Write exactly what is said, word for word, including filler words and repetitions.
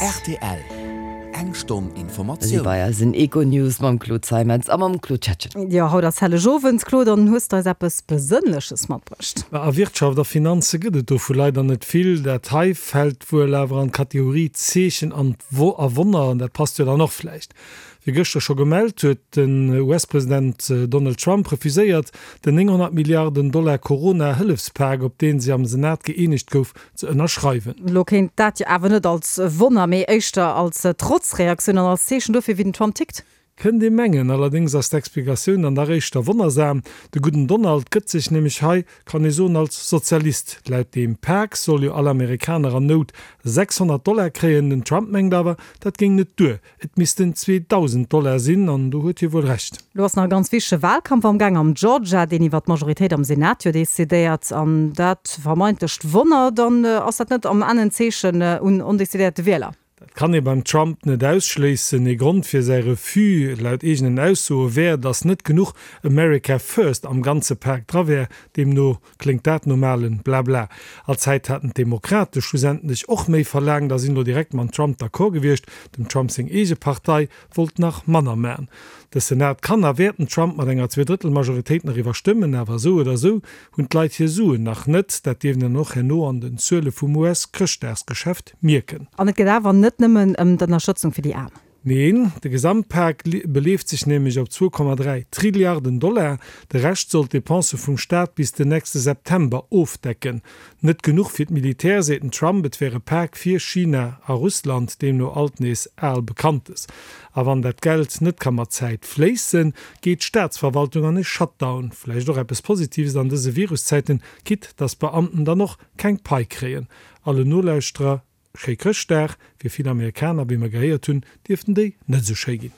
Rtl, Eng Stonn Si Informatioun. bei eisen Econews mam Claude Zeimetz a mam Claude Schettgen. Jo, haut ass Hellegowend, Claude, an hues de eis eppes Besënnleches matbruecht? A Wirtschaft a Finanze gëtt et dovu leider net vill. Dat hei fält wuel awer an d'Kategorie Zeechen an a Wonner, an dat passt jo dann och vläicht. Wéi gëschter scho gemellt, huet den U S-President Donald Trump refuséiert, den nénghonnert Milliarden Dollar Corona-Hëllefspak, op dee sech am Senat gëeenegt gouf, ze ënnerschreiwen. Lo kéint dat jo awer net als Wonner, mee éischter als Trotzreaktioun an als Zeechen dofir, wéi den Trump tickt. Kënnt ee mengen, allerdéngs ass d'Explikatioun dann dach éischter wonnersam. De gudden Donald gëtt sech nämlech hei, kann ee soen, als Sozialist. Laut deem Pak soll jo all Amerikaner an Nout sechshonnert Dollar kréien. Den Trump mengt awer, dat géing net duer, et missten zweedausend Dollar sinn, an do huet hie wuel Recht. Lo ass nach e ganz wichtege Wahlkampf am Gaang am Georgia, deen iwwer d'Majoritéit am Senat jo decidéiert. An dat vermeintlecht Wonner, dann ass dat net am Enn en Zeechen un ondecidéierte Wieler? Dat kann ee beim Trump net ausschléissen. Ee Grond fir säi Refus, laut eegenen Aussoe, wär, datt net genuch America First am ganze Pak dra wär. Deemno kléngt dat no malen Blabla. Allzäit haten d'Demokrate schlussendlech och méi verlaangt a sinn elo direkt mam Trump d'accord gewiescht. Dem Trump seng eege Partei wollt nach manner man. De Senat kann a wäert den Trump mat enger Zweedrëttelmajoritéit nach iwwerstëmmen, awer esou oder esou hunn d'Leit hir Suen nach net. Dat dierft een dann och herno an den Zuele vum U S-Chrëschtdagsgeschäft mierken. An et geet awer net nëmmen ëm d'Ënnerstëtzung fir déi Aarm. Neen, de Gesamtpak beleeft sech nämlech op zwou Komma dräi Trilliarden Dollar. De Rescht soll d'Depensë vum Staat bis den nächste September ofdecken. Net genuch fir d'Militär, seet den Trump, et wär e Pak fir China a Russland, deemno alt nees al Bekanntes. A wann dat Geld net ka mat Zäit fléissen, geet d'Staatsverwaltung an e Shutdown. Vläicht och eppes Positives an dëse Viruszäiten, quitte dass d'Beamten dann och keng Pai kréien. Allen Nolauschterer schéi Chrëschtdag. Fir vill Amerikaner, wéi mer gehéiert hunn, dierften déi net esou schéi ginn.